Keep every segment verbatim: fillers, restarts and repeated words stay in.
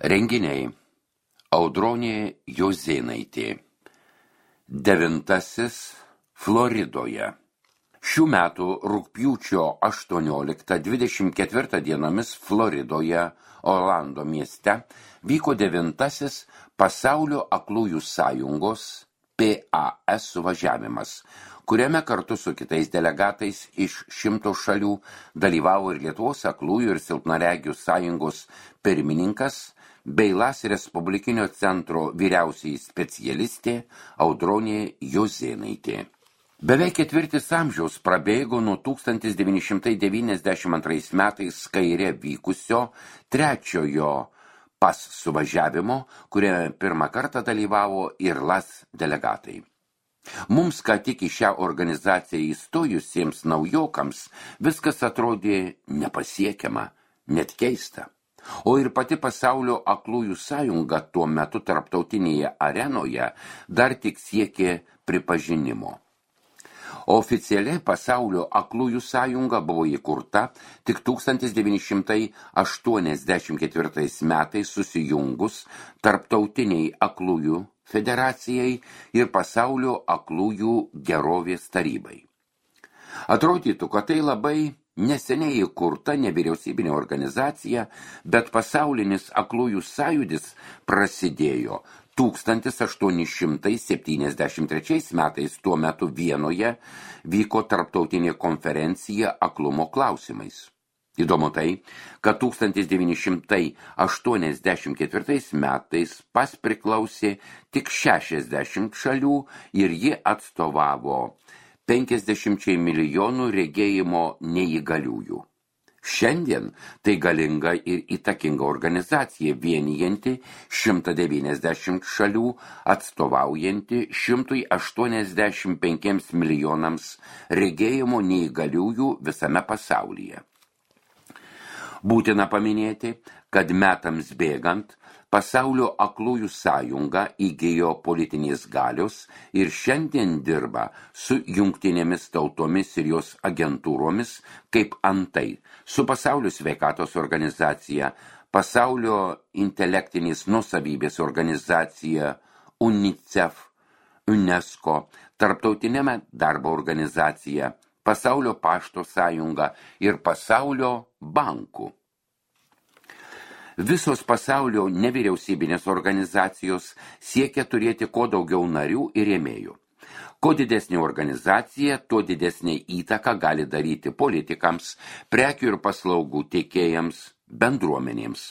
Renginiai. Audronė Juozėnaitė. Devintasis Floridoje. Šių metų rugpjūčio aštuonioliktą dvidešimt ketvirtą dienomis Floridoje, Orlando mieste, vyko devintasis Pasaulio aklųjų sąjungos P A S suvažiavimas, kuriame kartu su kitais delegatais iš šimto šalių dalyvavo ir Lietuvos aklųjų ir silpnaregių sąjungos pirmininkas bei Las Respublikinio centro vyriausiai specialistė Audronė Juozėnaitė. Beveik ketvirtis amžiaus prabėgo nuo tūkstantis devyni šimtai devyniasdešimt antrais metais Kaire vykusio trečiojo P A S suvažiavimo, kuriame pirmą kartą dalyvavo ir Las delegatai. Mums, ką tik į šią organizaciją įstojusiems naujokams, viskas atrodė nepasiekiama, net keista. O ir pati Pasaulio aklųjų sąjunga tuo metu tarptautinėje arenoje dar tik siekė pripažinimo. Oficialiai Pasaulio aklųjų sąjunga buvo įkurta tik tūkstantis devyni šimtai aštuoniasdešimt ketvirtais metais susijungus Tarptautiniai aklųjų federacijai ir Pasaulio aklųjų gerovės tarybai. Atrodytų, kad tai labai neseniai įkurta nevyriausybinė organizacija, bet pasaulinis aklųjų sąjūdis prasidėjo tūkstantis aštuoni šimtai septyniasdešimt trečiais metais, tuo metu Vienoje vyko tarptautinė konferencija aklumo klausimais. Įdomu tai, kad tūkstantis devyni šimtai aštuoniasdešimt ketvirtais metais P A S priklausė tik šešiasdešimt šalių ir ji atstovavo penkiasdešimčiai milijonų regėjimo neįgaliųjų. Šiandien tai galinga ir įtakinga organizacija vienijanti šimtą devyniasdešimt šalių, atstovaujanti šimtui aštuoniasdešimt penkiems milijonams regėjimo neįgaliųjų visame pasaulyje. Būtina paminėti, kad metams bėgant Pasaulio aklųjų sąjunga įgijo politinės galios ir šiandien dirba su jungtinėmis tautomis ir jos agentūromis, kaip antai su Pasaulio sveikatos organizacija, Pasaulio intelektinės nuosavybės organizacija UNICEF, UNESCO, Tarptautinė darbo organizacija, Pasaulio pašto sąjunga ir Pasaulio bankų. Visos pasaulio nevyriausybinės organizacijos siekia turėti kuo daugiau narių ir rėmėjų. Kuo didesnė organizacija, tuo didesnė įtaka gali daryti politikams, prekių ir paslaugų teikėjams, bendruomenėms.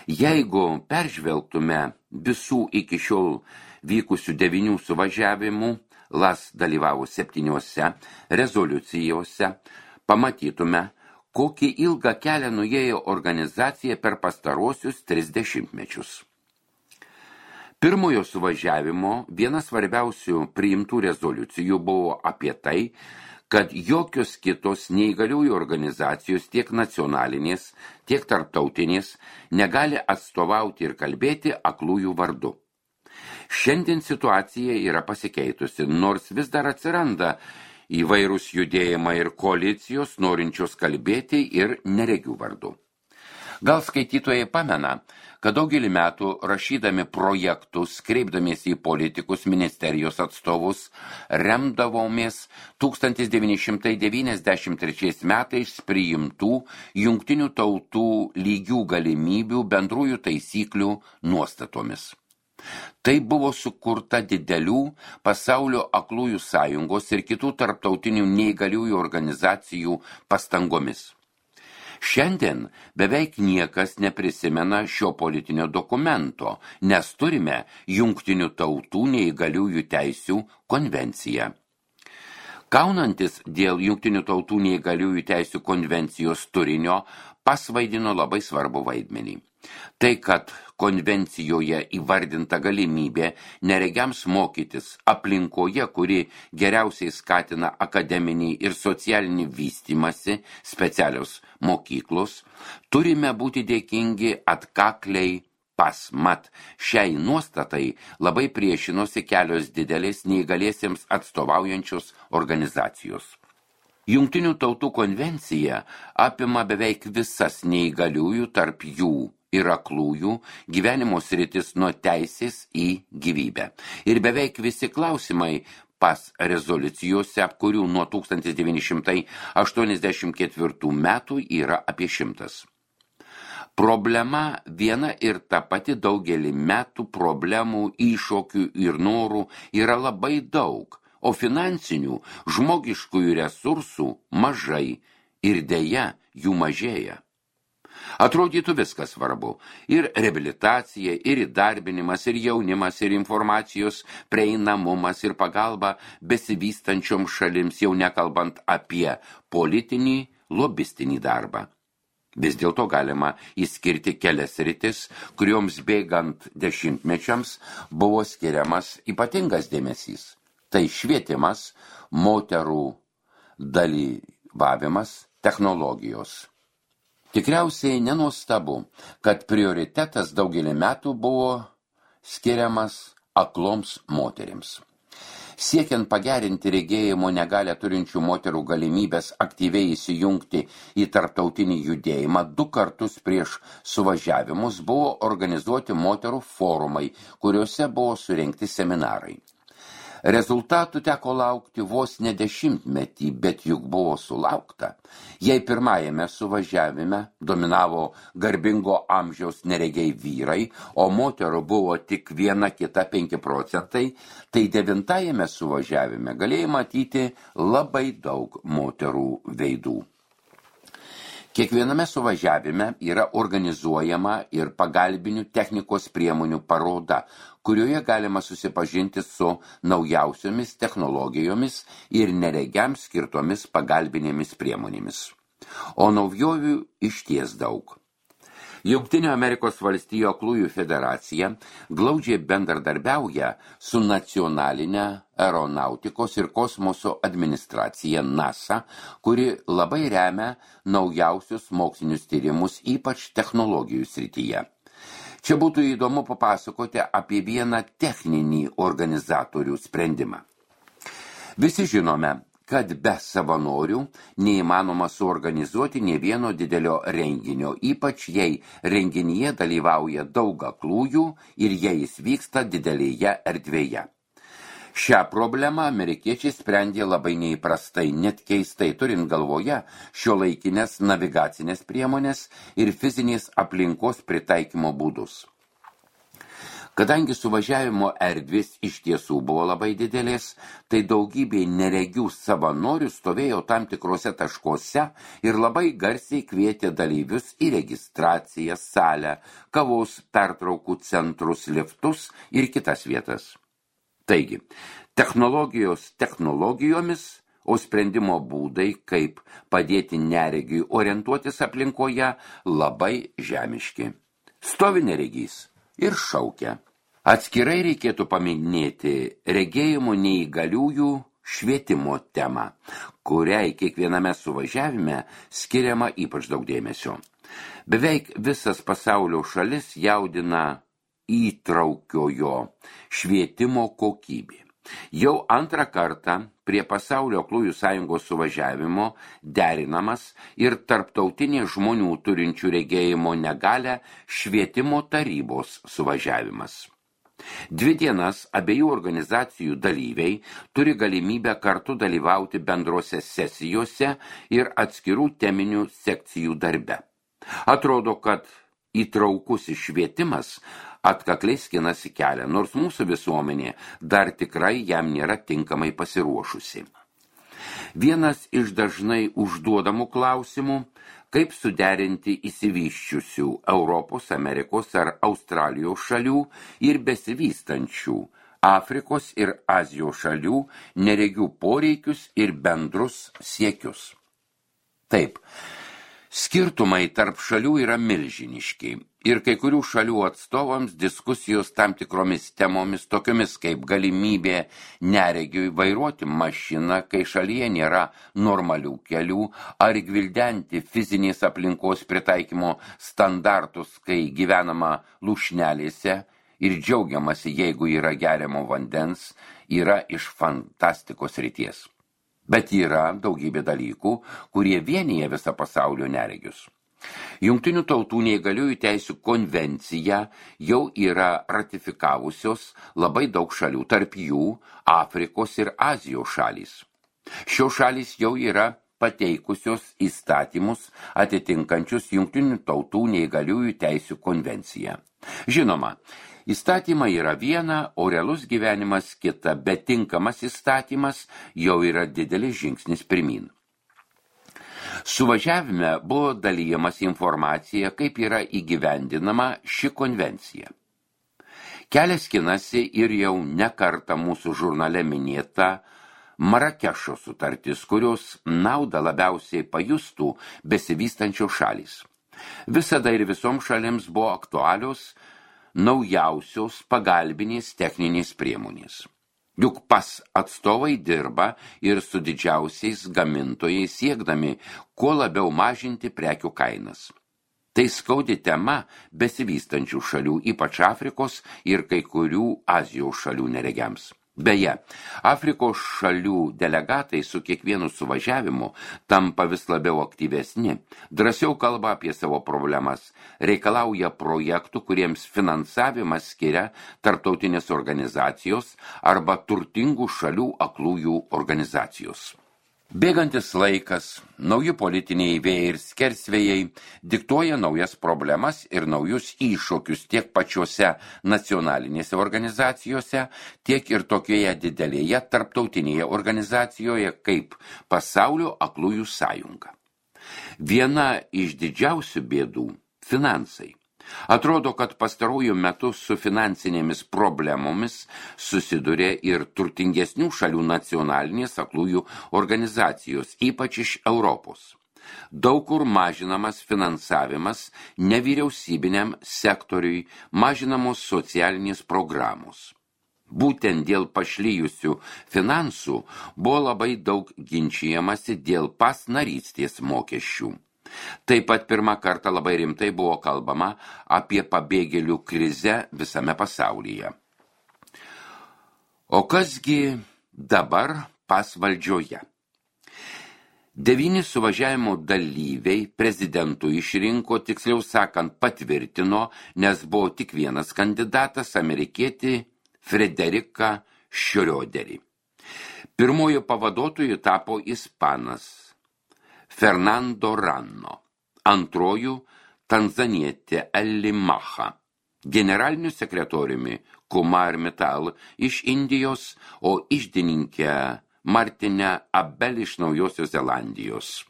Jeigu peržvelgtume visų iki šiol vykusių devynių suvažiavimų, Las dalyvavo septyniose rezoliucijose, pamatytume, kokį ilgą kelią nuėjo organizacija per pastaruosius tris dešimtmečius. Pirmojo suvažiavimo vienas svarbiausių priimtų rezoliucijų buvo apie tai, kad jokios kitos neįgaliųjų organizacijos tiek nacionalinės, tiek tarptautinės negali atstovauti ir kalbėti aklųjų vardu. Šiandien situacija yra pasikeitusi, nors vis dar atsiranda įvairūs judėjimai ir koalicijos norinčios kalbėti ir neregių vardu. Gal skaitytojai pamena, kad daugelį metų rašydami projektus, kreipdamiesi į politikus, ministerijos atstovus, remdavomės tūkstantis devyni šimtai devyniasdešimt trečiais metais priimtų jungtinių tautų lygių galimybių bendrųjų taisyklių nuostatomis. Tai buvo sukurta didelių Pasaulio aklųjų sąjungos ir kitų tarptautinių neįgaliųjų organizacijų pastangomis. Šiandien beveik niekas neprisimena šio politinio dokumento, nes turime Jungtinių tautų neįgaliųjų teisių konvenciją. Kaunantis dėl Jungtinių tautų neįgaliųjų teisių konvencijos turinio, P A S vaidino labai svarbu vaidmenį. Tai, kad konvencijoje įvardinta galimybė neregiams mokytis aplinkoje, kuri geriausiai skatina akademinį ir socialinį vystymąsi, specialios mokyklos, turime būti dėkingi atkakliai P A S. Mat, šiai nuostatai labai priešinosi kelios didelės neįgaliesiems atstovaujančios organizacijos. Jungtinių tautų konvencija apima beveik visas neįgaliųjų, tarp jų ir aklųjų gyvenimo sritis nuo teisės į gyvybę. Ir beveik visi klausimai pas rezoliucijose, kurių nuo tūkstantis devyni šimtai aštuoniasdešimt ketvirtų metų yra apie šimtas. Problema viena ir ta pati daugelį metų problemų, iššūkių ir norų yra labai daug, o finansinių, žmogiškųjų resursų mažai ir deja jų mažėja. Atrodytų viskas svarbu – ir reabilitacija, ir įdarbinimas, ir jaunimas, ir informacijos prieinamumas, ir pagalba besivystančioms šalims, jau nekalbant apie politinį, lobistinį darbą. Vis dėlto galima įskirti kelias sritis, kurioms bėgant dešimtmečiams buvo skiriamas ypatingas dėmesys. Tai švietimas, moterų dalyvavimas, technologijos. Tikriausiai nenuostabu, kad prioritetas daugelį metų buvo skiriamas akloms moterims. Siekiant pagerinti regėjimo negalią turinčių moterų galimybės aktyviai įsijungti į tarptautinį judėjimą, du kartus prieš suvažiavimus buvo organizuoti moterų forumai, kuriuose buvo surengti seminarai. Rezultatų teko laukti vos ne dešimtmetį, bet juk buvo sulaukta. Jei pirmajame suvažiavime dominavo garbingo amžiaus neregiai vyrai, o moterų buvo tik viena kita penki procentai, tai devintajame suvažiavime galėjai matyti labai daug moterų veidų. Kiekviename suvažiavime yra organizuojama ir pagalbinių technikos priemonių paroda, kurioje galima susipažinti su naujausiomis technologijomis ir neregiams skirtomis pagalbinėmis priemonėmis. O naujovių išties daug. Jungtinių Amerikos valstijų aklųjų federacija glaudžiai bendradarbiauja su nacionalinė aeronautikos ir kosmoso administracija NASA, kuri labai remia naujausius mokslinius tyrimus, ypač technologijų srityje. Čia būtų įdomu papasakoti apie vieną techninį organizatorių sprendimą. Visi žinome, kad be savanorių neįmanoma suorganizuoti nė vieno didelio renginio, ypač jei renginyje dalyvauja daug aklųjų ir jei jis vyksta didelėje erdvėje. Šią problemą amerikiečiai sprendė labai neįprastai, net keistai, turint galvoje šiuolaikinės navigacinės priemonės ir fizinės aplinkos pritaikymo būdus. Kadangi suvažiavimo erdvės iš tiesų buvo labai didelės, tai daugybė neregių savanorių stovėjo tam tikrose taškuose ir labai garsiai kvietė dalyvius į registraciją, salę, kavos pertraukų centrus, liftus ir kitas vietas. Taigi, technologijos technologijomis, o sprendimo būdai, kaip padėti neregiui orientuotis aplinkoje, labai žemiški. Stovi neregys ir šaukia. Atskirai reikėtų paminėti regėjimo neįgaliųjų švietimo temą, kuriai kiekviename suvažiavime skiriama ypač daug dėmesio. Beveik visas pasaulio šalis jaudina įtraukiojo švietimo kokybė. Jau antrą kartą prie Pasaulio aklųjų sąjungos suvažiavimo derinamas ir tarptautinės žmonių turinčių regėjimo negalią švietimo tarybos suvažiavimas. Dvi dienas abiejų organizacijų dalyviai turi galimybę kartu dalyvauti bendrose sesijose ir atskirų teminių sekcijų darbe. Atrodo, kad įtraukusis švietimas atkakliai skinasi kelią, nors mūsų visuomenė dar tikrai jam nėra tinkamai pasiruošusi. Vienas iš dažnai užduodamų klausimų, kaip suderinti išsivysčiusių Europos, Amerikos ar Australijos šalių ir besivystančių Afrikos ir Azijos šalių neregių poreikius ir bendrus siekius. Taip, skirtumai tarp šalių yra milžiniški ir kai kurių šalių atstovams diskusijos tam tikromis temomis, tokiomis kaip galimybė neregiui vairuoti mašiną, kai šalyje nėra normalių kelių, ar gvildenti fizinės aplinkos pritaikymo standartus, kai gyvenama lūšnelėse ir džiaugiamasi, jeigu yra geriamo vandens, yra iš fantastikos ryties. Bet yra daugybė dalykų, kurie vienyje visą pasaulio neregius. Jungtinių tautų neįgaliųjų teisių konvenciją jau yra ratifikavusios labai daug šalių, tarp jų Afrikos ir Azijos šalys. Šios šalys jau yra pateikusios įstatymus atitinkančius Jungtinių tautų neįgaliųjų teisių konvenciją. Žinoma, įstatymai yra viena, o realus gyvenimas kita, bet tinkamas įstatymas jau yra didelis žingsnis pirmyn. Suvažiavime buvo dalyjamas informacija, kaip yra įgyvendinama ši konvencija. Kelias skinasi ir jau ne kartą mūsų žurnale minėta Marakešo sutartis, kurios naudą labiausiai pajustų besivystančios šalys. Visada ir visoms šalims buvo aktualios naujausios pagalbinės techninės priemonės. Juk pas atstovai dirba ir su didžiausiais gamintojais siekdami kuo labiau mažinti prekių kainas. Tai skaudi tema besivystančių šalių, ypač Afrikos ir kai kurių Azijos šalių neregiams. Beje, Afrikos šalių delegatai su kiekvienu suvažiavimu tampa vis labiau aktyvesni, drąsiau kalba apie savo problemas, reikalauja projektų, kuriems finansavimas skiria tarptautinės organizacijos arba turtingų šalių aklųjų organizacijos. Bėgantis laikas, nauji politiniai vėjai ir skersvėjai diktuoja naujas problemas ir naujus iššūkius tiek pačiose nacionalinėse organizacijose, tiek ir tokioje didelėje tarptautinėje organizacijoje kaip Pasaulio aklųjų sąjunga. Viena iš didžiausių bėdų – finansai. Atrodo, kad pastarųjų metų su finansinėmis problemomis susiduria ir turtingesnių šalių nacionalinės aklųjų organizacijos, ypač iš Europos. Daug kur mažinamas finansavimas nevyriausybiniam sektoriui, mažinamos socialinės programos. Būtent dėl pašlyjusių finansų buvo labai daug ginčijamasi dėl pasnarystės mokesčių. Taip pat pirmą kartą labai rimtai buvo kalbama apie pabėgėlių krizę visame pasaulyje. O kasgi dabar pas valdžioje? Devyni suvažiavimo dalyviai prezidentų išrinko, tiksliau sakant, patvirtino, nes buvo tik vienas kandidatas, amerikietį Frederiką Šrioderį. Pirmojo pavaduotoju tapo ispanas Fernando Ranno, antrojų tanzanietė Elli Macha, generaliniu sekretoriumi Kumar Mittal iš Indijos, o iždininkę Martinę Abel iš Naujosios Zelandijos.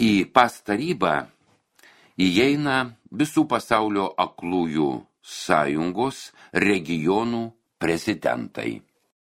Į pas tarybą įeina visų pasaulio aklųjų sąjungos regionų prezidentai.